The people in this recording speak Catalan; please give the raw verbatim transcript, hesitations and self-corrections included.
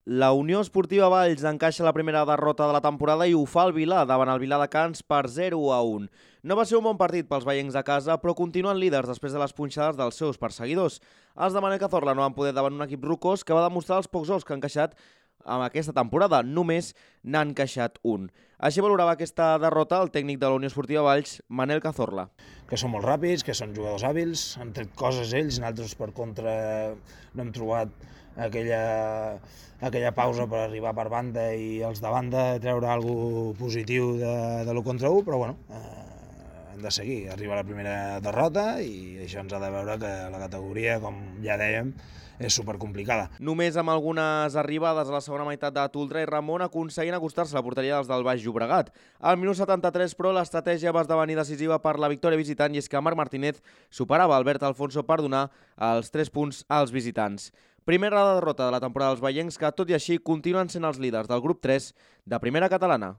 La Unió Esportiva Valls encaixa la primera derrota de la temporada i ho fa el Vilà davant el Viladecans per zero a un. No va ser un bon partit pels veients de casa, però continuen líders després de les punxades dels seus perseguidors. Els de Manel Cazorla no van poder davant un equip rocós que va demostrar els pocs gols que han encaixat en aquesta temporada. Només n'han encaixat un. Així valorava aquesta derrota el tècnic de la Unió Esportiva Valls, Manel Cazorla. Que són molt ràpids, que són jugadors hàbils, han tret coses ells, nosaltres per contra no hem trobat aquella, aquella pausa per arribar per banda i els de banda treure alguna positiu de, de l'u contra u, però bueno, eh, hem de seguir. Arriba la primera derrota i això ens ha de veure que la categoria, com ja dèiem, és supercomplicada. Només amb algunes arribades a la segona meitat de Toldrà i Ramon aconseguint acostar-se a la porteria dels del Baix Llobregat. Al minut setanta-tres, però, l'estratègia va esdevenir decisiva per la victòria visitant i és que Marc Martínez superava Albert Alfonso per donar els tres punts als visitants. Primera derrota de la temporada dels veients que, tot i així, continuen sent els líders del grup tres de Primera Catalana.